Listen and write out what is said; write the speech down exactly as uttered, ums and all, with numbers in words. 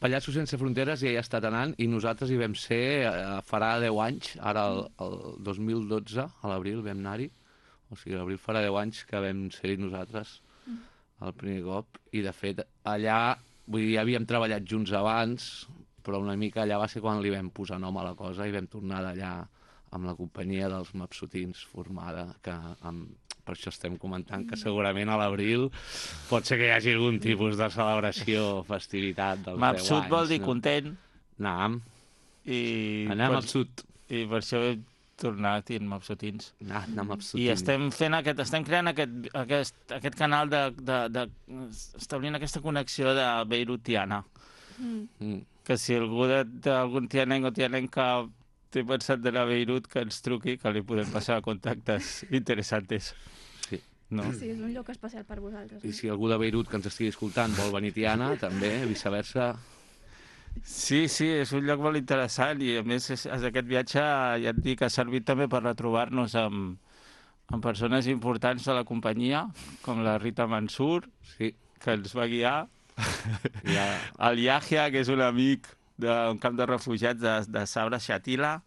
Pallassos Sense Fronteres ja hi ha estat anant i nosaltres hi vam ser eh, farà deu anys, ara el, el dos mil dotze, a l'abril vam anar-hi, o sigui, a l'abril farà deu anys que vam ser-hi nosaltres el primer cop, i de fet allà, vull dir, ja havíem treballat junts abans, però una mica allà va ser quan li vam posar nom a la cosa i vam tornar d'allà amb la companyia dels Mapsotins formada, que amb, per això estem comentant que segurament a l'abril pot ser que hi hagi algun tipus de celebració, festivitat dels deu anys. Mapsut vol dir no? content. Anam. I Anem per, al sud. I per això hem tornat i en Mapsotins. Anar, anar amb Mapsotins. I estem fent aquest, estem creant aquest, aquest, aquest canal de, de, de, establint aquesta connexió de Beirut-Tiana. Mm. Mm. Que si algú d'algun tianenc o tianenca té pensat d'anar a Beirut, que ens truqui, que li podem passar contactes interessantes. Sí. No? Sí, és un lloc especial per vosaltres. I si algú de Beirut que ens estigui escoltant vol venir a Tiana, també, viceversa. Sí, sí, és un lloc molt interessant i a més és, és aquest viatge, ja et dic, ha servit també per retrobar-nos amb, amb persones importants de la companyia, com la Rita Mansur, Sí. que ens va guiar, Ja. el Yahya, que és un amic d'un camp de refugiats de, de Sabra Shatila,